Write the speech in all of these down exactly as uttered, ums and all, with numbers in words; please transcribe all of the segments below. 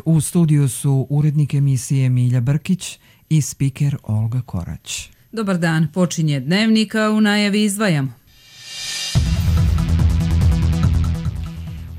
U studiju su urednik emisije Milja Brkić i spiker Olga Korać. Dobar dan, počinje Dnevnika, u najavi izdvajamo.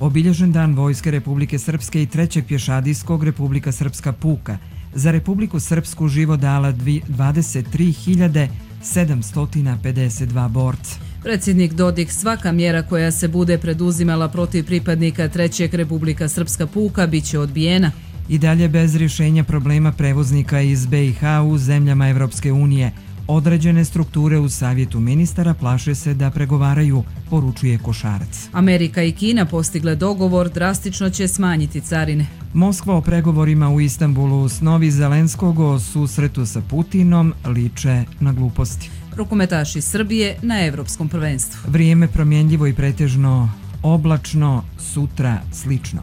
Obilježen dan Vojske Republike Srpske i trećeg pješadijskog Republika Srpska puka. Za Republiku Srpsku život dala dvadeset tri hiljade sedamsto pedeset dva borca. Predsjednik Dodik, svaka mjera koja se bude preduzimala protiv pripadnika trećeg Republika Srpska puka bit će odbijena. I dalje bez rješenja problema prevoznika iz B i H u zemljama Evropske unije. Određene strukture u Savjetu ministara plaše se da pregovaraju, poručuje Košarac. Amerika i Kina postigle dogovor, drastično će smanjiti carine. Moskva o pregovorima u Istanbulu snovi Zelenskog o susretu sa Putinom liče na gluposti. Rukometaši Srbije na Evropskom prvenstvu. Vrijeme promjenljivo i pretežno oblačno, sutra slično.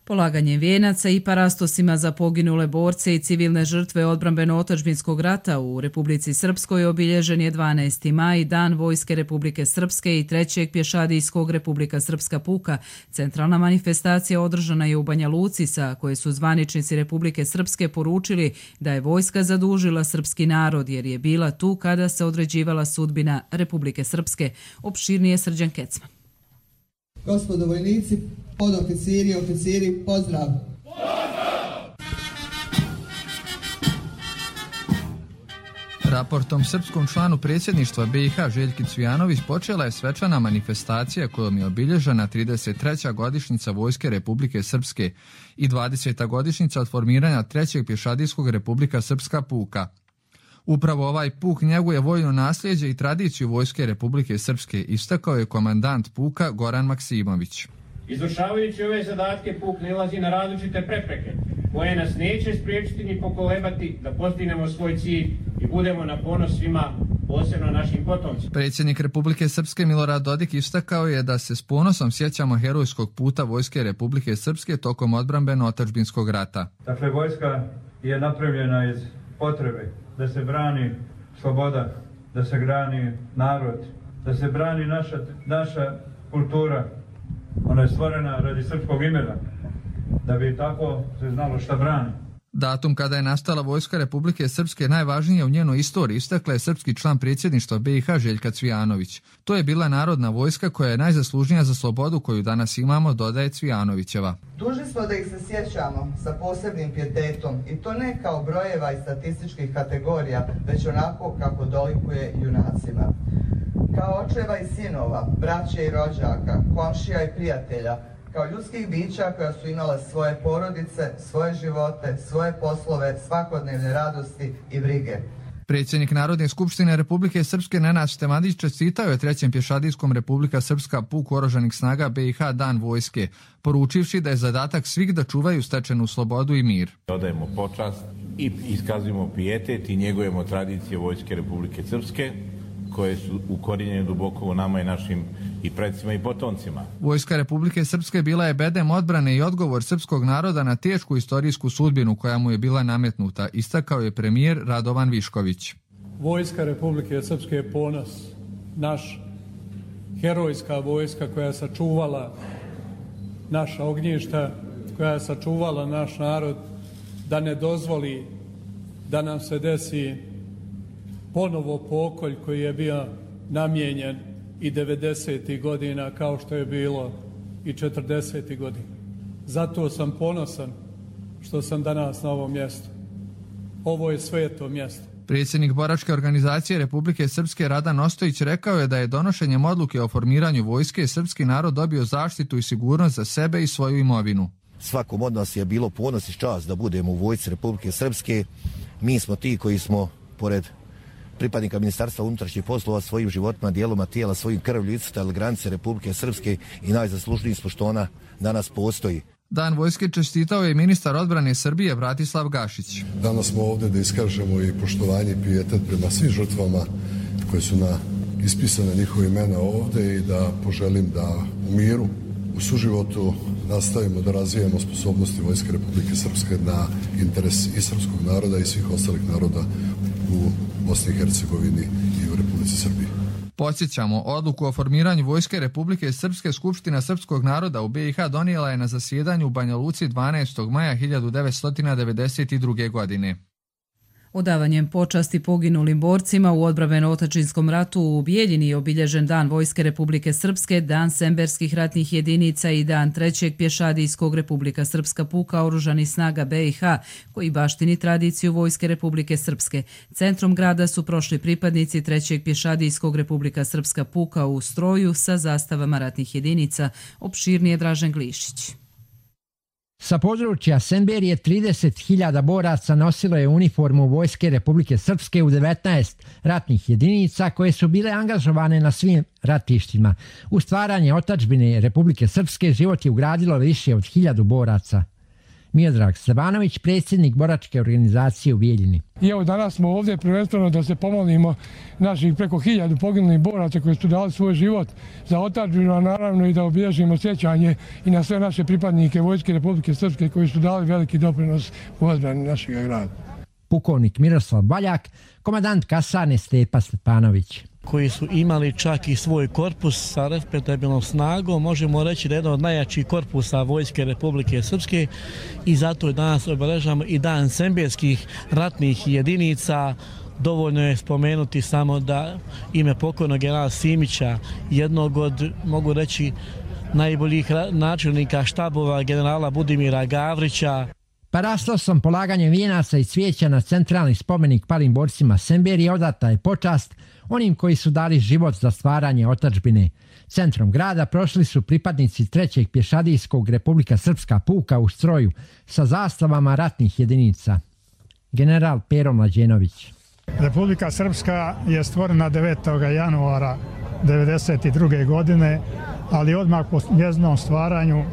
Polaganjem vijenaca i parastosima za poginule borce i civilne žrtve odbrambeno-otadžbinskog rata u Republici Srpskoj obilježen je dvanaesti maj, Dan Vojske Republike Srpske i trećeg pješadijskog Republika Srpska puka. Centralna manifestacija održana je u Banja Luci, sa koje su zvaničnici Republike Srpske poručili da je vojska zadužila srpski narod jer je bila tu kada se određivala sudbina Republike Srpske. Opširnije Srđan Kecman. Gospodo vojnici, podoficiri i oficiri, pozdrav! Pozdrav! Raportom srpskom članu predsjedništva B i H Željki Cvijanović počela je svečana manifestacija kojom je obilježena trideset treća godišnjica Vojske Republike Srpske i dvadeseta godišnjica od formiranja trećeg pješadijskog Republika Srpska puka. Upravo ovaj puk njeguje vojno nasljeđe i tradiciju Vojske Republike Srpske, istakao je komandant puka Goran Maksimović. Izvršavajući ove zadatke, puk nailazi na različite prepreke, koje nas neće spriječiti ni pokolebati da postignemo svoj cilj i budemo na ponos svima, posebno našim potomcima. Predsjednik Republike Srpske Milorad Dodik istakao je da se s ponosom sjećamo herojskog puta Vojske Republike Srpske tokom odbrambeno-otadžbinskog rata. Dakle, vojska je napravljena iz potrebe da se brani sloboda, da se brani narod, da se brani naša, naša kultura. Ona je stvorena radi srpskog imena, da bi tako se znalo šta brani. Datum kada je nastala Vojska Republike Srpske najvažnije u njenoj istoriji, istakla je srpski član predsjedništva B i H Željka Cvijanović. To je bila narodna vojska koja je najzaslužnija za slobodu koju danas imamo, dodaje Cvijanovićeva. Dužni smo da ih se sjećamo sa posebnim pijetetom i to ne kao brojeva i statističkih kategorija, već onako kako dolikuje junacima. Kao očeva i sinova, braće i rođaka, komšija i prijatelja, kao ljudskih bića koja su imala svoje porodice, svoje živote, svoje poslove, svakodnevne radosti i brige. Predsjednik Narodne skupštine Republike Srpske Nenad Števandić čestitao je trećem pješadijskom Republika Srpska puku oružanih snaga B i H Dan vojske, poručivši da je zadatak svih da čuvaju stečenu slobodu i mir. Odajemo počast i iskazujemo pijetet i njegujemo tradicije Vojske Republike Srpske, koje su ukorijenjene duboko u nama i našim i predsima i potomcima. Vojska Republike Srpske bila je bedem odbrane i odgovor srpskog naroda na tešku istorijsku sudbinu koja mu je bila nametnuta, istakao je premijer Radovan Višković. Vojska Republike Srpske je ponos, naš herojska vojska koja je sačuvala naša ognjišta, koja je sačuvala naš narod da ne dozvoli da nam se desi ponovo pokolj koji je bio namijenjen i devedesetih godina kao što je bilo i četrdesetih godina. Zato sam ponosan što sam danas na ovom mjestu. Ovo je sveto mjesto. Predsjednik boračke organizacije Republike Srpske Radan Ostojić rekao je da je donošenjem odluke o formiranju vojske srpski narod dobio zaštitu i sigurnost za sebe i svoju imovinu. Svakom od nas je bilo ponos i čast da budemo u vojsci Republike Srpske. Mi smo ti koji smo, pored pripadnika Ministarstva unutrašnjih poslova, svojim životima, dijeloma tijela, svojim krvlju iscrtali granice Republike Srpske i najzaslužniji smo što ona danas postoji. Dan vojske čestitao je ministar odbrane Srbije Bratislav Gašić. Danas smo ovdje da iskažemo i poštovanje i pijetet prema svim žrtvama koje su na ispisane njihove imena ovdje i da poželim da u miru, u suživotu nastavimo da razvijamo sposobnosti Vojske Republike Srpske na interes i srpskog naroda i svih ostalih naroda u Bosni i Hercegovini i u Republici Srbiji. Podsjećamo, odluku o formiranju Vojske Republike Srpske Skupština srpskog naroda u B i H donijela je na zasjedanju u Banja Luci dvanaestog maja hiljadu devetsto devedeset druge. godine. Odavanjem počasti poginulim borcima u odbrambeno-otadžbinskom ratu u Bijeljini je obilježen Dan Vojske Republike Srpske, Dan semberskih ratnih jedinica i Dan trećeg pješadijskog Republika Srpska puka oružanih snaga B i H, koji baštini tradiciju Vojske Republike Srpske. Centrom grada su prošli pripadnici trećeg pješadijskog Republika Srpska puka u stroju sa zastavama ratnih jedinica. Opširnije Dražen Glišić. Sa područja Semberije trideset hiljada boraca nosilo je uniformu Vojske Republike Srpske u devetnaest ratnih jedinica koje su bile angažovane na svim ratištima. U stvaranje otadžbine Republike Srpske život je ugradilo više od hiljadu boraca. Miodrag Stevanović, predsjednik boračke organizacije u Bijeljini. I evo danas smo ovdje prvenstveno da se pomolimo naših preko hiljadu poginulih boraca koji su dali svoj život za otadžbinu, a naravno i da obilježimo sjećanje i na sve naše pripadnike Vojske Republike Srpske koji su dali veliki doprinos u odbrani našeg grada. Pukovnik Miroslav Baljak, komandant kasarne Stepa Stepanović. Koji su imali čak i svoj korpus sa respektabilnom snagom, možemo reći da je jedan od najjačih korpusa Vojske Republike Srpske i zato danas obeležavamo i Dan semberskih ratnih jedinica. Dovoljno je spomenuti samo da ime pokojnog generala Simića, jednog od, mogu reći, najboljih načelnika štabova generala Budimira Gavrića. Parastosom polaganjem vijenaca i cvijeća na centralni spomenik palim borcima Semberije odata je počast onim koji su dali život za stvaranje otadžbine. Centrom grada prošli su pripadnici trećeg pješadijskog Republika Srpska puka u stroju sa zastavama ratnih jedinica. General Pero Mlađenović. Republika Srpska je stvorena devetog januara devedeset druge. godine, ali odmah po njezinom stvaranju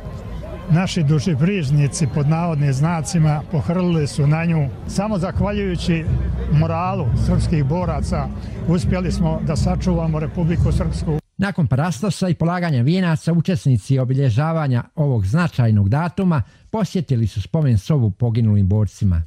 naši dušebrižnici pod navodnim znacima pohrlili su na nju. Samo zahvaljujući moralu srpskih boraca uspjeli smo da sačuvamo Republiku Srpsku. Nakon parastosa i polaganja vijenaca, učesnici obilježavanja ovog značajnog datuma posjetili su spomen sobu poginulim borcima.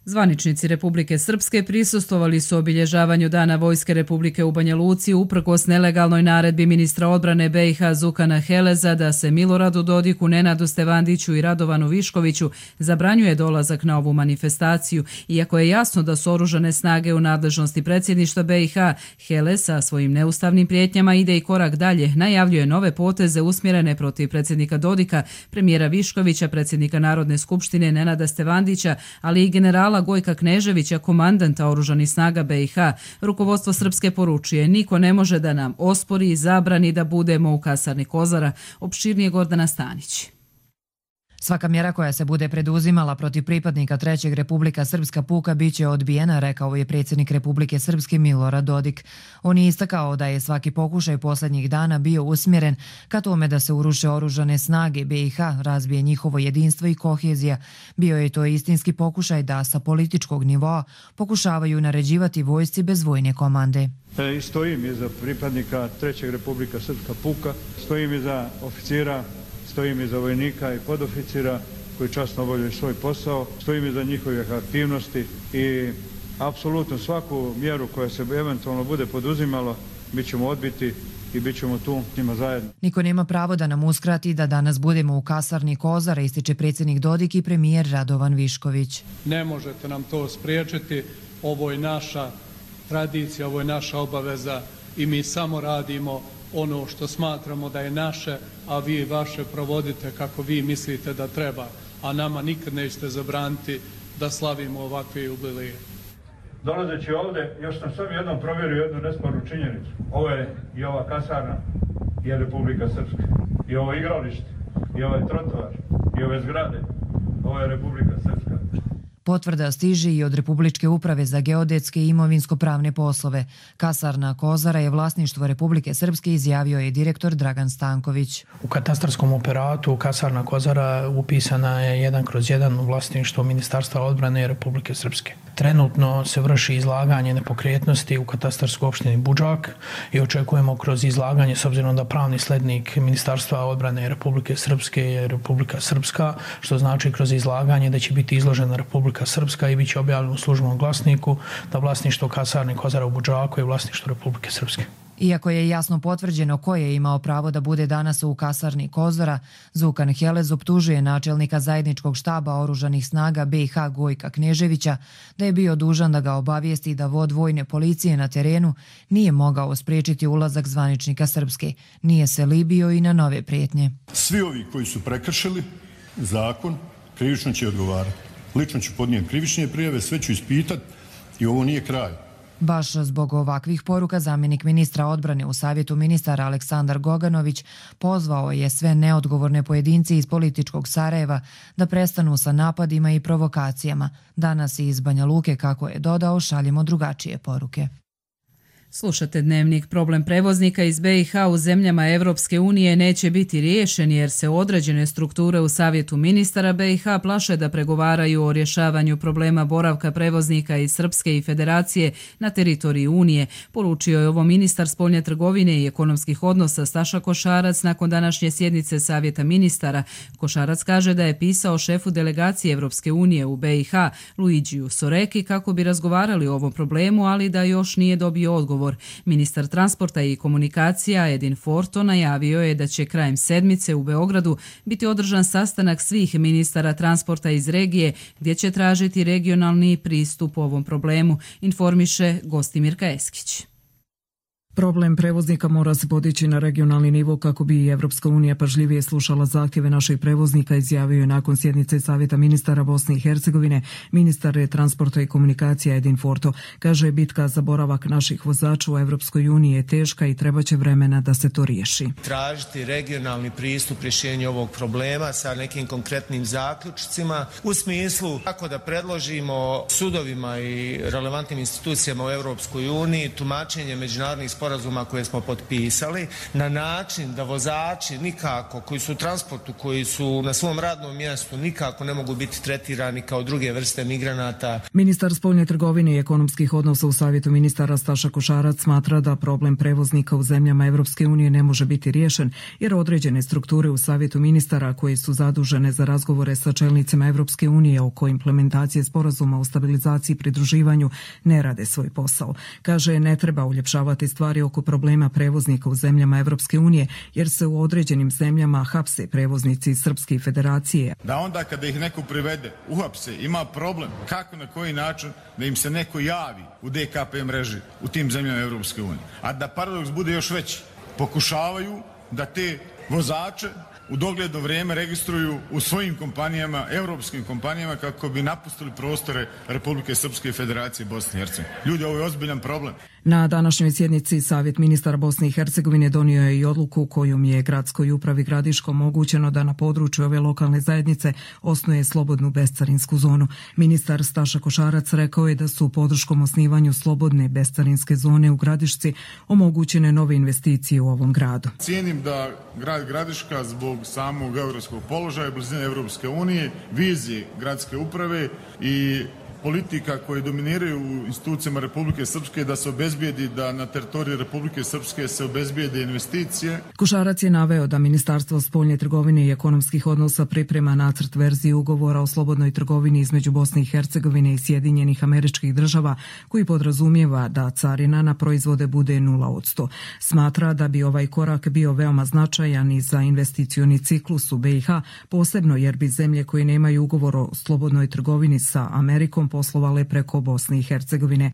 Zvaničnici Republike Srpske prisustvovali su obilježavanju Dana Vojske Republike u Banja Luci uprkos nelegalnoj naredbi ministra odbrane B i H Zukana Heleza da se Miloradu Dodiku, Nenadu Stevandiću i Radovanu Viškoviću zabranjuje dolazak na ovu manifestaciju. Iako je jasno da su oružane snage u nadležnosti predsjedništva B i H, Helez sa svojim neustavnim prijetnjama ide i korak dalje. Najavljuje nove poteze usmjerene protiv predsjednika Dodika, premijera Viškovića, predsjednika Narodne skupštine Nenada Stevandića, ali i generala Gojka Kneževića, komandanta oružanih snaga B i H. Rukovodstvo Srpske poručuje: niko ne može da nam ospori i zabrani da budemo u kasarni Kozara. Opširnije Gordana Stanić. Svaka mjera koja se bude preduzimala protiv pripadnika trećeg Republika Srpska puka biće odbijena, rekao je predsjednik Republike Srpske Milorad Dodik. On je istakao da je svaki pokušaj posljednjih dana bio usmjeren ka tome da se uruše oružane snage B i H, razbije njihovo jedinstvo i kohezija. Bio je to istinski pokušaj da sa političkog nivoa pokušavaju naređivati vojsci bez vojne komande. E, stojim iza pripadnika trećeg Republika Srpska puka, stojim iza oficira, stojim iza vojnika i podoficira koji časno obavljaju svoj posao, stojim iza njihovih aktivnosti i apsolutno svaku mjeru koja se eventualno bude poduzimalo mi ćemo odbiti i bit ćemo tu s njima zajedno. Niko nema pravo da nam uskrati da danas budemo u kasarni Kozara, ističe predsjednik Dodik i premijer Radovan Višković. Ne možete nam to spriječiti, ovo je naša tradicija, ovo je naša obaveza i mi samo radimo ono što smatramo da je naše, a vi vaše provodite kako vi mislite da treba, a nama nikad nećete zabraniti da slavimo ovakve jubileje. Dolazeći ovdje, još sam sam jednom provjerio jednu nespornu činjenicu. Ovo je i ova kasarna, je Republika Srpska. I ovo igralište, i ovaj trotoar, i ove zgrade, ovo je Republika Srpska. Potvrda stiže i od Republičke uprave za geodetske i imovinsko-pravne poslove. Kasarna Kozara je vlasništvo Republike Srpske, izjavio je direktor Dragan Stanković. U katastarskom operatu kasarna Kozara upisana je jedan kroz jedan u vlasništvo Ministarstva odbrane Republike Srpske. Trenutno se vrši izlaganje nepokretnosti u katastarskoj opštini Budžak i očekujemo kroz izlaganje, s obzirom da pravni slednik Ministarstva odbrane Republike Srpske je Republika Srpska, što znači kroz izlaganje da će biti izložena Republika Srpska i bit će objavljeno u službenom glasniku da vlasništvo kasarne Kozara u Budžaku je vlasništvo Republike Srpske. Iako je jasno potvrđeno ko je imao pravo da bude danas u kasarni Kozora, Zukan Helez optužuje načelnika zajedničkog štaba oružanih snaga B i H Gojka Kneževića da je bio dužan da ga obavijesti da vod vojne policije na terenu nije mogao spriječiti ulazak zvaničnika Srpske, nije se libio i na nove prijetnje. Svi ovi koji su prekršili zakon krivično će odgovarati. Lično ću podnijeti krivične prijave, sve ću ispitati i ovo nije kraj. Baš zbog ovakvih poruka zamjenik ministra odbrane u Savjetu ministara Aleksandar Goganović pozvao je sve neodgovorne pojedinci iz političkog Sarajeva da prestanu sa napadima i provokacijama. Danas iz Banja Luke, kako je dodao, šaljemo drugačije poruke. Slušate Dnevnik. Problem prevoznika iz B i H u zemljama Evropske unije neće biti riješen jer se određene strukture u Savjetu ministara B i H plaše da pregovaraju o rješavanju problema boravka prevoznika iz Srpske i Federacije na teritoriji Unije, poručio je ovo ministar spoljne trgovine i ekonomskih odnosa Staša Košarac nakon današnje sjednice Savjeta ministara. Košarac kaže da je pisao šefu delegacije Evropske unije u B i H Luigiju Soreki kako bi razgovarali o ovom problemu, ali da još nije dobio odgovor. Ministar transporta i komunikacija Edin Forto najavio je da će krajem sedmice u Beogradu biti održan sastanak svih ministara transporta iz regije gdje će tražiti regionalni pristup ovom problemu, informiše Gostimirka Eskić. Problem prevoznika mora se podići na regionalni nivo kako bi i Evropska unija pažljivije slušala zahtjeve naših prevoznika, izjavio je nakon sjednice Savjeta ministara Bosne i Hercegovine ministar transporta i komunikacija Edin Forto. Kaže, bitka za boravak naših vozača u Evropskoj uniji je teška i trebaće vremena da se to riješi. Tražiti regionalni pristup rješenju ovog problema sa nekim konkretnim zaključcima u smislu kako da predložimo sudovima i relevantnim institucijama u Evropskoj uniji tumačenje međunarodnih sporazuma koje smo potpisali na način da vozači nikako koji su u transportu, koji su na svom radnom mjestu nikako ne mogu biti tretirani kao druge vrste migranata. Ministar spoljne trgovine i ekonomskih odnosa u Savjetu ministara Staša Košarac smatra da problem prevoznika u zemljama Evropske unije ne može biti riješen jer određene strukture u Savjetu ministara koje su zadužene za razgovore sa čelnicima Evropske unije oko implementacije sporazuma o stabilizaciji i pridruživanju ne rade svoj posao. Kaže, ne treba uljepšavati stvari oko problema prevoznika u zemljama Evropske unije jer se u određenim zemljama hapse prevoznici iz Srpske i Federacije. Da onda kada ih neko privede, uhapse, ima problem kako na koji način da im se neko javi u D K P mreži u tim zemljama Evropske unije. A da paradoks bude još veći, pokušavaju da te vozače u dogledno vrijeme registruju u svojim kompanijama, europskim kompanijama, kako bi napustili prostore Republike Srpske i Federacije Bosne i Hercegovine. Ljudi, ovo je ozbiljan problem. Na današnjoj sjednici Savjet ministara Bosne i Hercegovine donio je i odluku kojom je gradskoj upravi Gradiško omogućeno da na području ove lokalne zajednice osnuje slobodnu bescarinsku zonu. Ministar Staša Košarac rekao je da su podrškom osnivanju slobodne bescarinske zone u Gradišci omogućene nove investicije u ovom gradu. Cijenim da grad Gradiška zbog samog geografskog položaja, blizine Evropske unije, vizije gradske uprave i politika koje dominiraju u institucijama Republike Srpske da se obezbijedi da na teritoriji Republike Srpske se obezbijede investicije. Košarac je naveo da Ministarstvo spoljne trgovine i ekonomskih odnosa priprema nacrt verzije ugovora o slobodnoj trgovini između Bosne i Hercegovine i Sjedinjenih Američkih Država koji podrazumijeva da carina na proizvode bude nula odsto. Smatra da bi ovaj korak bio veoma značajan i za investicioni ciklus u B i H, posebno jer bi zemlje koje nemaju ugovor o slobodnoj trgovini sa Amerikom poslovale preko Bosne i Hercegovine.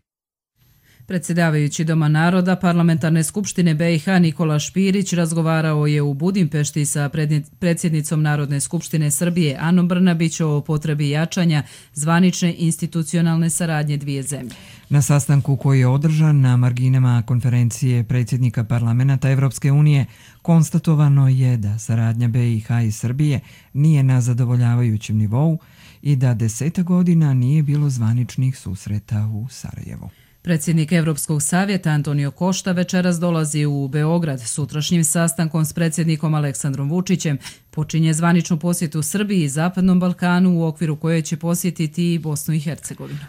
Predsjedavajući Doma naroda Parlamentarne skupštine B i H Nikola Špirić razgovarao je u Budimpešti sa predsjednicom Narodne skupštine Srbije Anom Brnabić o potrebi jačanja zvanične institucionalne saradnje dvije zemlje. Na sastanku koji je održan na marginama konferencije predsjednika parlamenta Evropske unije konstatovano je da saradnja B i H i Srbije nije na zadovoljavajućem nivou i da deseta godina nije bilo zvaničnih susreta u Sarajevu. Predsjednik Evropskog savjeta Antonio Košta večeras dolazi u Beograd. Sutrašnjim sastankom s predsjednikom Aleksandrom Vučićem počinje zvaničnu posjetu Srbiji i Zapadnom Balkanu u okviru koje će posjetiti i Bosnu i Hercegovinu.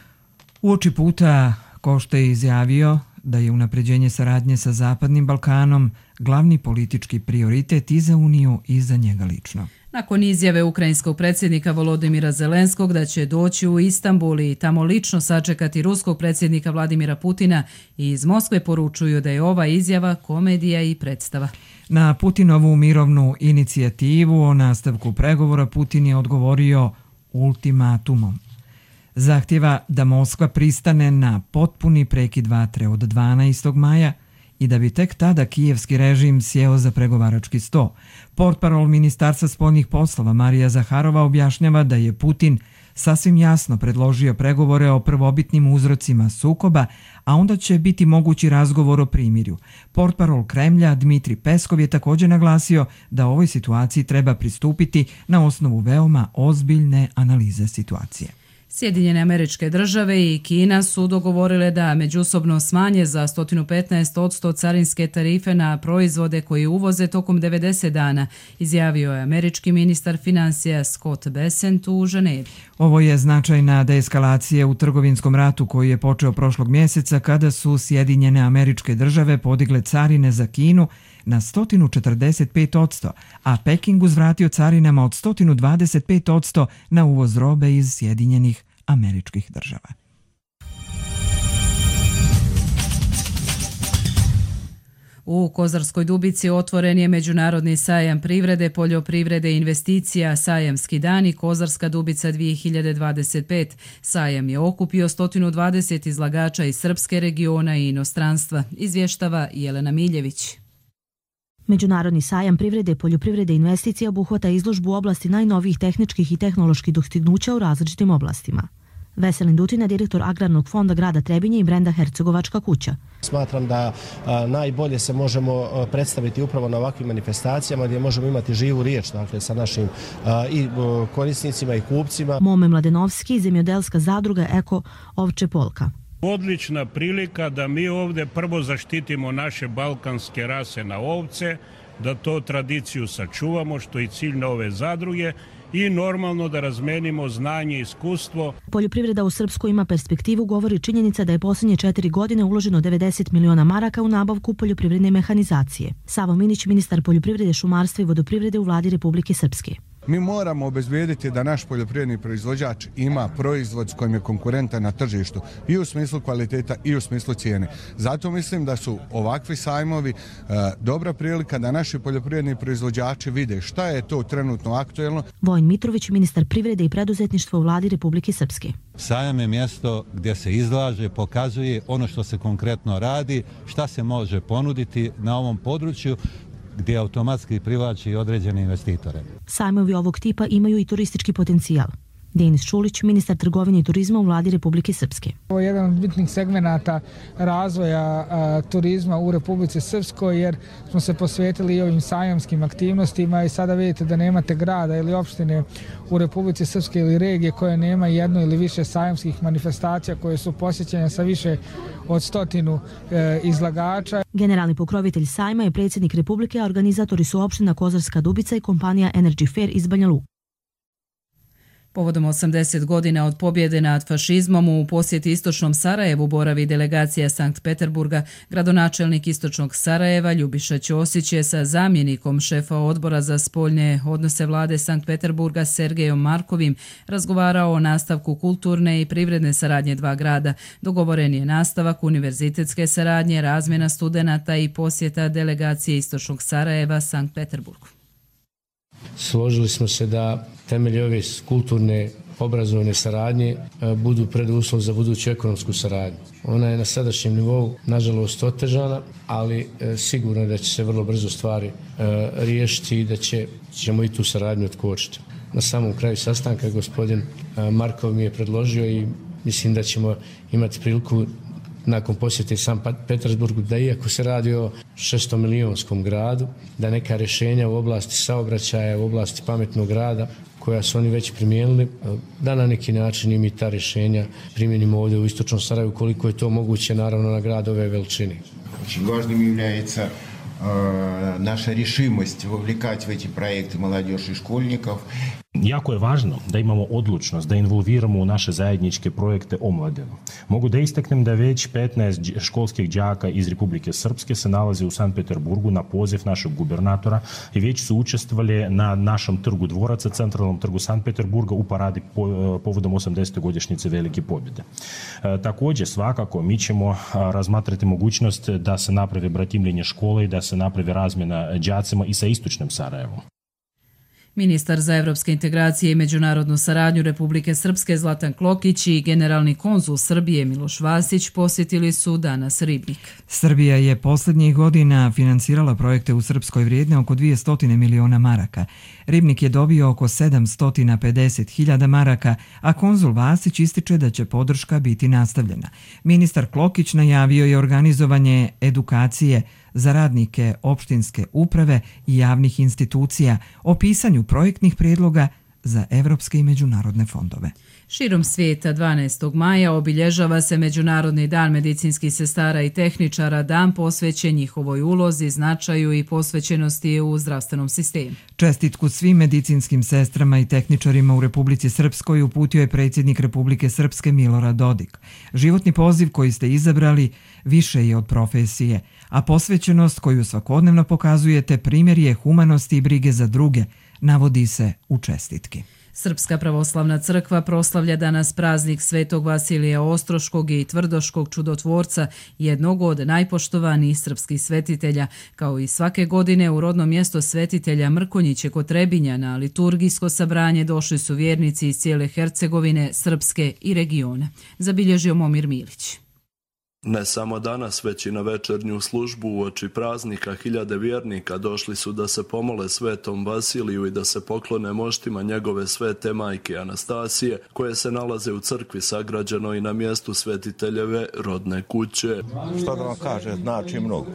Uoči puta Košta je izjavio da je unapređenje saradnje sa Zapadnim Balkanom glavni politički prioritet i za Uniju i za njega lično. Nakon izjave ukrajinskog predsjednika Volodimira Zelenskog da će doći u Istanbul i tamo lično sačekati ruskog predsjednika Vladimira Putina, i iz Moskve poručuju da je ova izjava komedija i predstava. Na Putinovu mirovnu inicijativu o nastavku pregovora Putin je odgovorio ultimatumom. Zahtjeva da Moskva pristane na potpuni prekid vatre od dvanaestog maja i da bi tek tada kijevski režim sjeo za pregovarački sto. Portparol Ministarstva spoljnih poslova Marija Zaharova objašnjava da je Putin sasvim jasno predložio pregovore o prvobitnim uzrocima sukoba, a onda će biti mogući razgovor o primirju. Portparol Kremlja Dmitri Peskov je također naglasio da ovoj situaciji treba pristupiti na osnovu veoma ozbiljne analize situacije. Sjedinjene Američke Države i Kina su dogovorile da međusobno smanje za sto petnaest posto carinske tarife na proizvode koji uvoze tokom devedeset dana, izjavio je američki ministar financija Scott Bessent u Ženevi. Ovo je značajna deeskalacija u trgovinskom ratu koji je počeo prošlog mjeseca kada su Sjedinjene Američke Države podigle carine za Kinu na sto četrdeset pet posto, a Peking uzvratio carinama od sto dvadeset pet posto na uvoz robe iz Sjedinjenih Američkih Država. U Kozarskoj Dubici otvoren je Međunarodni sajam privrede, poljoprivrede i investicija Sajamski dan i Kozarska Dubica dvije hiljade dvadeset pet. Sajam je okupio sto dvadeset izlagača iz srpske regiona i inostranstva, izvještava Jelena Miljević. Međunarodni sajam privrede, poljoprivrede i investicija obuhvata izložbu u oblasti najnovijih tehničkih i tehnoloških dostignuća u različitim oblastima. Veselin Dutina, direktor Agrarnog fonda grada Trebinje i brenda Hercegovačka kuća. Smatram da a, najbolje se možemo a, predstaviti upravo na ovakvim manifestacijama gdje možemo imati živu riječ, dakle, sa našim a, i a, korisnicima i kupcima. Mome Mladenovski, zemljodelska zadruga Eko Ovče Polka. Odlična prilika da mi ovdje prvo zaštitimo naše balkanske rase na ovce, da to tradiciju sačuvamo, što je cilj ove zadruge, i normalno da razmenimo znanje i iskustvo. Poljoprivreda u Srpskoj ima perspektivu, govori činjenica da je posljednje četiri godine uloženo devedeset miliona maraka u nabavku poljoprivredne mehanizacije. Savo Minić, ministar poljoprivrede, šumarstva i vodoprivrede u vladi Republike Srpske. Mi moramo obezbijediti da naš poljoprivredni proizvođač ima proizvod s kojim je konkurentan na tržištu i u smislu kvaliteta i u smislu cijene. Zato mislim da su ovakvi sajmovi e, dobra prilika da naši poljoprivredni proizvođači vide šta je to trenutno aktuelno. Vojin Mitrović, ministar privrede i preduzetništva u vladi Republike Srpske. Sajam je mjesto gdje se izlaže, pokazuje ono što se konkretno radi, šta se može ponuditi na ovom području, gdje automatski privlači određene investitore. Sajmovi ovog tipa imaju i turistički potencijal. Denis Čulić, ministar trgovine i turizma u vladi Republike Srpske. Ovo je jedan od bitnih segmenata razvoja a, turizma u Republici Srpskoj, jer smo se posvetili i ovim sajamskim aktivnostima i sada vidite da nemate grada ili opštine u Republici Srpske ili regije koje nema jedno ili više sajamskih manifestacija koje su posjećene sa više od stotinu e, izlagača. Generalni pokrovitelj sajma je predsjednik Republike, a organizatori su opština Kozarska Dubica i kompanija Energy Fair iz Banja Luke. Povodom osamdeset godina od pobjede nad fašizmom u posjeti Istočnom Sarajevu boravi delegacija Sankt Peterburga. Gradonačelnik Istočnog Sarajeva Ljubiša Ćosić je sa zamjenikom šefa odbora za spoljne odnose vlade Sankt Peterburga Sergejom Markovim razgovarao o nastavku kulturne i privredne saradnje dva grada. Dogovoren je nastavak univerzitetske saradnje, razmjena studenata i posjeta delegacije Istočnog Sarajeva Sankt Peterburgu. Složili smo se da temelji ove kulturne obrazovne saradnje budu preduslov za buduću ekonomsku saradnju. Ona je na sadašnjem nivou nažalost otežana, ali sigurno je da će se vrlo brzo stvari riješiti i da će, ćemo i tu saradnju otkočiti. Na samom kraju sastanka gospodin Markov mi je predložio i mislim da ćemo imati priliku nakon posjete Sankt Petersburgu, da iako se radi o šestomilionskom gradu, da neka rješenja u oblasti saobraćaja, u oblasti pametnog grada, koja su oni već primijenili, da na neki način i mi ta rješenja primijenimo ovdje u Istočnom Sarajevu, koliko je to moguće, naravno, na grad ove veličine. Очень важным является э, наша решимость вовлекать в эти проекты молодежь и школьников. Jako je važno da imamo odlučnost, da involviramo u naše zajedničke projekte omladinu. Mogu da istaknem da već petnaest školskih đaka iz Republike Srpske se nalazi u Sankt Peterburgu na poziv našeg gubernatora i već su učestvovali na našem trgu dvoraca, centralnom trgu Sankt Peterburga u paradi povodom osamdesete godišnjice Velike pobjede. Također, svakako, mi ćemo razmatrati mogućnost da se napravi bratimljenje škole i da se napravi razmjena đacima i sa istočnim Sarajevom. Ministar za evropske integracije i međunarodnu saradnju Republike Srpske Zlatan Klokić i generalni konzul Srbije Miloš Vasić posjetili su danas Ribnik. Srbija je posljednjih godina finansirala projekte u Srpskoj vrijedne oko dvjesto miliona maraka. Ribnik je dobio oko sedamsto pedeset hiljada maraka, a konzul Vasić ističe da će podrška biti nastavljena. Ministar Klokić najavio je organizovanje edukacije za radnike opštinske uprave i javnih institucija o pisanju projektnih prijedloga za evropske i međunarodne fondove. Širom svijeta dvanaestog maja obilježava se Međunarodni dan medicinskih sestara i tehničara, dan posvećen njihovoj ulozi, značaju i posvećenosti u zdravstvenom sistemu. Čestitku svim medicinskim sestrama i tehničarima u Republici Srpskoj uputio je predsjednik Republike Srpske Milorad Dodik. Životni poziv koji ste izabrali više je od profesije, a posvećenost koju svakodnevno pokazujete primjer je humanosti i brige za druge, navodi se u čestitki. Srpska pravoslavna crkva proslavlja danas praznik Svetog Vasilija Ostroškog i Tvrdoškog čudotvorca, jednog od najpoštovanijih srpskih svetitelja. Kao i svake godine u rodno mjesto svetitelja Mrkonjiće kod Trebinja na liturgijsko sabranje došli su vjernici iz cijele Hercegovine, Srpske i regiona. Zabilježio Momir Milić. Ne samo danas, već i na večernju službu uoči praznika hiljade vjernika došli su da se pomole svetom Vasiliju i da se poklone moštima njegove svete majke Anastasije, koje se nalaze u crkvi sagrađenoj na mjestu svetiteljeve rodne kuće. Što da vam kaže, znači mnogo.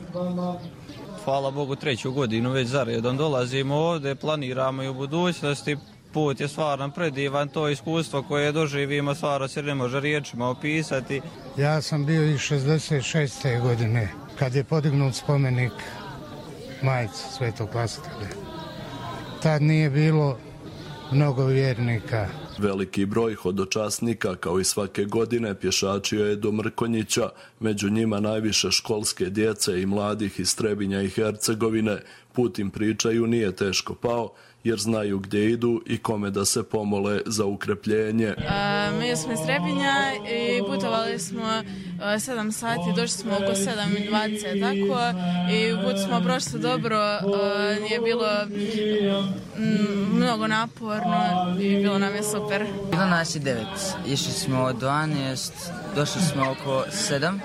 Hvala Bogu, treću godinu već zaredom dolazimo ovdje, planiramo i u budućnosti. Put je stvarno predivan, to iskustvo koje doživimo stvarno se ne može riječima opisati. Ja sam bio i šezdeset šeste godine kad je podignut spomenik majci Svetog Vasilija. Tad nije bilo mnogo vjernika. Veliki broj hodočasnika, kao i svake godine, pješačio je do Mrkonjića, među njima najviše školske djece i mladih iz Trebinja i Hercegovine. Put im, pričaju, nije teško pao, jer znaju gdje idu i kome da se pomole za ukrepljenje. A, mi smo iz Trebinja i putovali smo sedam sati, došli smo oko sedam dvadeset tako i put smo prošli dobro, a, nije bilo m, mnogo naporno i bilo nam je super. Bilo nas je devet, išli smo od dvanaest, došli smo oko sedam, e,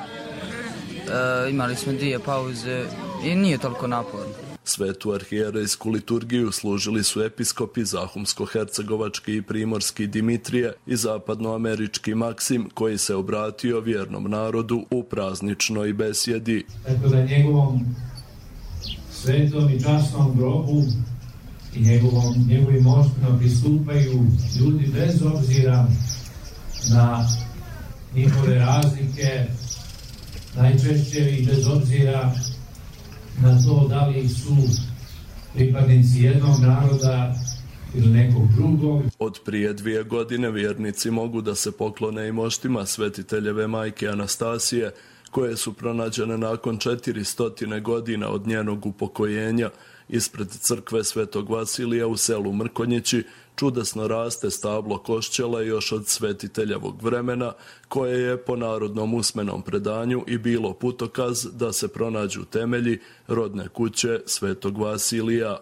imali smo dvije pauze i nije toliko naporno. Svetu arhijerejsku liturgiju služili su episkopi Zahumsko-hercegovački i primorski Dimitrije i zapadnoamerički Maksim, koji se obratio vjernom narodu u prazničnoj besjedi. Tako da njegovom svetom i časnom grobu i njegovom, njegovim moštima pristupaju ljudi bez obzira na njihove razlike, najčešće i bez obzira na to da li su pripadnici jednog naroda ili nekog drugog. Od prije dvije godine vjernici mogu da se poklone i moštima svetiteljeve majke Anastasije, koje su pronađene nakon četiristo godina od njenog upokojenja. Ispred crkve Svetog Vasilija u selu Mrkonjići čudesno raste stablo košćela još od svetiteljevog vremena, koje je po narodnom usmenom predanju i bilo putokaz da se pronađu temelji rodne kuće Svetog Vasilija.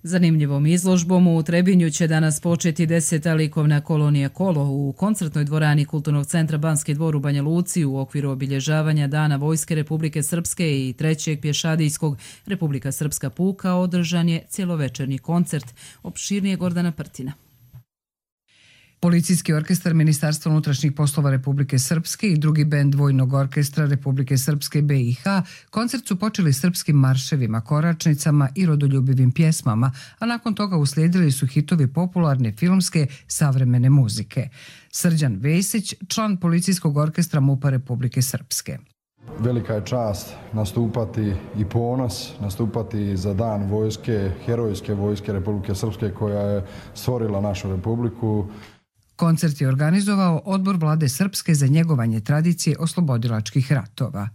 Zanimljivom izložbom u Trebinju će danas početi deseta likovna kolonija Kolo u koncertnoj dvorani Kulturnog centra Banski dvor u Banja Luci u okviru obilježavanja Dana Vojske Republike Srpske i trećeg pješadijskog Republika Srpska puka održan je cjelovečernji koncert. Opširnije Gordana Prtina. Policijski orkestar Ministarstva unutrašnjih poslova Republike Srpske i drugi bend Vojnog orkestra Republike Srpske B i H koncert su počeli srpskim marševima, koračnicama i rodoljubivim pjesmama, a nakon toga uslijedili su hitovi popularne filmske savremene muzike. Srđan Vesić, član Policijskog orkestra MUP-a Republike Srpske. velika je čast nastupati i ponos, nastupati za dan vojske, herojske vojske Republike Srpske koja je stvorila našu republiku. Koncert je organizovao Odbor vlade Srpske za njegovanje tradicije oslobodilačkih ratova.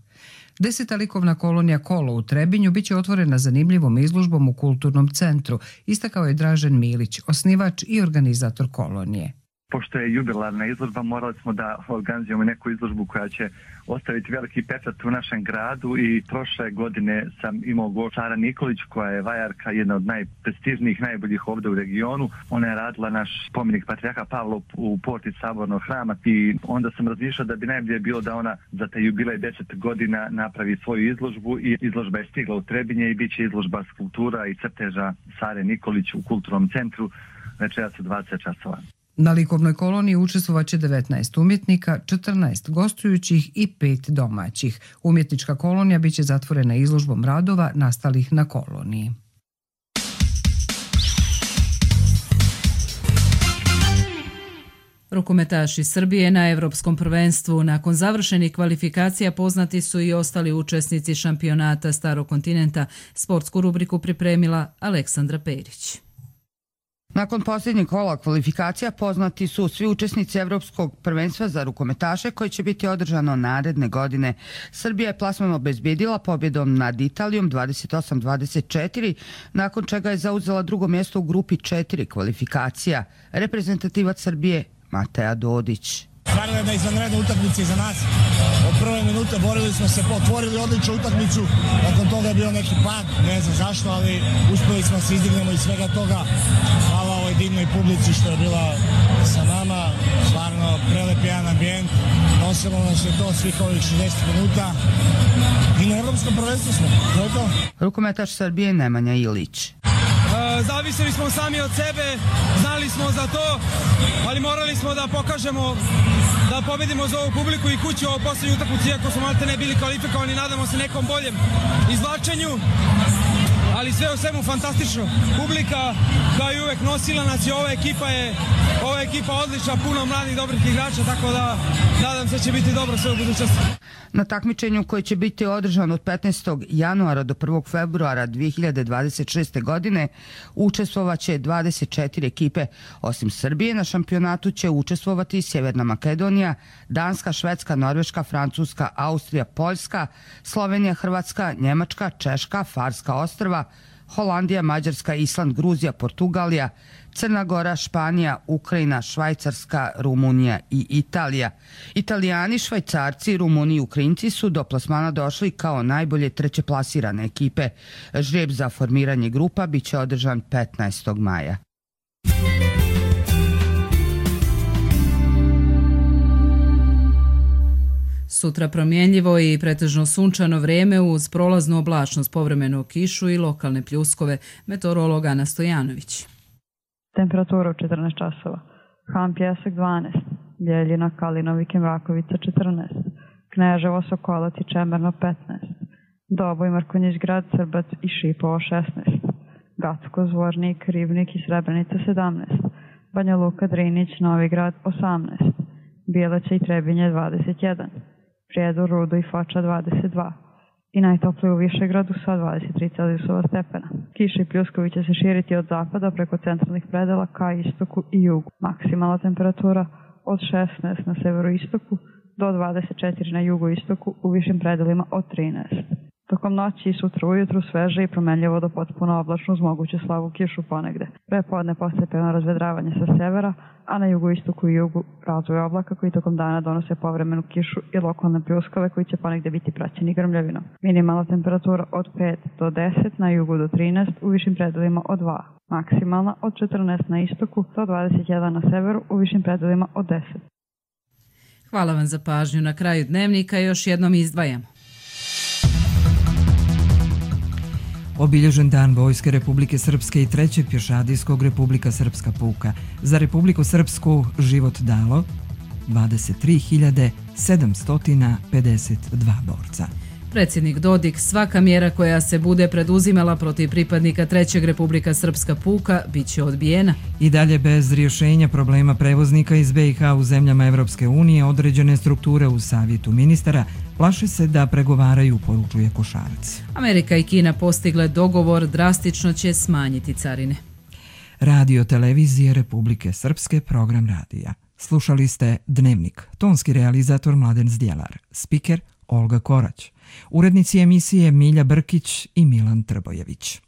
Deseta likovna kolonija Kolo u Trebinju biće otvorena zanimljivom izložbom u Kulturnom centru, istakao je Dražen Milić, osnivač i organizator kolonije. Pošto je jubilarna izložba, morali smo da organizujemo neku izložbu koja će ostaviti veliki pečat u našem gradu i prošle godine sam imao gošću Sara Nikolić, koja je vajarka, jedna od najprestižnijih, najboljih ovdje u regionu. Ona je radila naš spomenik Patrijarha Pavla u porti Sabornog hrama i onda sam razmišljao da bi najbolje bilo da ona za taj jubilej deset godina napravi svoju izložbu i izložba je stigla u Trebinje i bit će izložba skulptura i crteža Sare Nikolić u Kulturnom centru večeras u dvadeset časova. Na likovnoj koloniji učestvovaće devetnaest umjetnika, četrnaest gostujućih i pet domaćih. Umjetnička kolonija biće zatvorena izložbom radova nastalih na koloniji. Rukometaši Srbije na Evropskom prvenstvu. Nakon završenih kvalifikacija poznati su i ostali učesnici šampionata Starog kontinenta. Sportsku rubriku pripremila Aleksandra Perić. Nakon posljednjeg kola kvalifikacija poznati su svi učesnici Evropskog prvenstva za rukometaše koji će biti održano naredne godine. Srbija je plasman obezbedila pobjedom nad Italijom dvadeset osam dvadeset četiri, nakon čega je zauzela drugo mjesto u grupi četiri kvalifikacija. Reprezentativac Srbije Mateja Dodić. Stvarno jedna izvanredna utakmica iza nas. Od prve minute borili smo se, otvorili odličnu utakmicu, nakon toga je bio neki pad, ne znam zašto, ali uspjeli smo se izdignemo iz svega toga. Hvala ovoj divnoj publici što je bila sa nama, stvarno prelep jedan ambijent, nosilo nas je to svih ovih šezdeset minuta i na Evropskom prvenstvu smo, to je to. Rukometaš Srbije Nemanja Ilić. Zavisili smo sami od sebe, znali smo za to, ali morali smo da pokažemo da pobedimo za ovu publiku i kuću ovo posljednju utakmicu, iako smo malte ne bili kvalifikovani, nadamo se nekom boljem izvlačenju, ali sve u svemu fantastično. Publika kao i uvek nosila nas i ova ekipa je ova ekipa odlična, puno mladih dobrih igrača, tako da nadam se će biti dobro sve u budućnosti. Na takmičenju koje će biti održano od petnaestog januara do prvog februara dve hiljade dvadeset šeste. godine učestvovaće dvadeset četiri ekipe. Osim Srbije na šampionatu će učestvovati Sjeverna Makedonija, Danska, Švedska, Norveška, Francuska, Austrija, Poljska, Slovenija, Hrvatska, Njemačka, Češka, Farska ostrva, Holandija, Mađarska, Island, Gruzija, Portugalija, Crna Gora, Španija, Ukrajina, Švajcarska, Rumunija i Italija. Italijani, Švajcarci, Rumuni i Ukrajinci su do plasmana došli kao najbolje treće plasirane ekipe. Žreb za formiranje grupa biće održan petnaestog maja. Sutra promjenljivo i pretežno sunčano vrijeme uz prolaznu oblačnost, povremenu kišu i lokalne pljuskove. Meteorolog Ana Stojanović. Temperatura u četrnaest časova. Han Pjesak dvanaest, Ljeljina, Kalinovik i Mrakovica četrnaest, Kneževo, Sokolac i Čemerno petnaest, Doboj, Mrkonjić Grad, Srbac i Šipovo šesnaest, Gacko, Zvornik, Ribnik i Srebrenica sedamnaest, Banja Luka, Drinić, Novi Grad osamnaest, Bijeleća i Trebinje dvadeset jedan, Prijedor, Rudo i Foča dvadeset dva i najtoplije u Višegradu sa dvadeset tri Celzijusova stepena. Kiša i pljuskovi će se širiti od zapada preko centralnih predela ka istoku i jugu. Maksimalna temperatura od šesnaest na severoistoku do dvadeset četiri na jugoistoku, u višim predelima od trinaest. Tokom noći i sutra ujutru sveže i promenljivo do potpuno oblačno uz moguću slabu kišu ponegde. Prepodne postepeno razvedravanje sa severa, a na jugoistoku i jugu razvoj oblaka koji tokom dana donose povremenu kišu i lokalne pljuskove koji će ponegde biti praćeni grmljavinom. Minimalna temperatura od pet do deset, na jugu do trinaest, u višim predelima od dva. Maksimalna od četrnaest na istoku do dvadeset jedan na severu, u višim predelima od deset. Hvala vam za pažnju. Na kraju dnevnika još jednom izdvajamo. Obilježen dan Vojske Republike Srpske i trećeg pješadijskog Republika Srpska puka. Za Republiku Srpsku život dalo dvadeset tri hiljade sedamsto pedeset dva borca. Predsjednik Dodik, svaka mjera koja se bude preduzimala protiv pripadnika trećeg Republika Srpska puka bit će odbijena. I dalje bez rješenja problema prevoznika iz be i ha u zemljama Evropske unije, određene strukture u savjetu ministara plaše se da pregovaraju, poručuje Košarac. Amerika i Kina postigle dogovor, drastično će smanjiti carine. Radio televizije Republike Srpske, program radija. Slušali ste Dnevnik, tonski realizator Mladen Zdjelar, spiker Olga Korać, urednici emisije Milja Brkić i Milan Trbojević.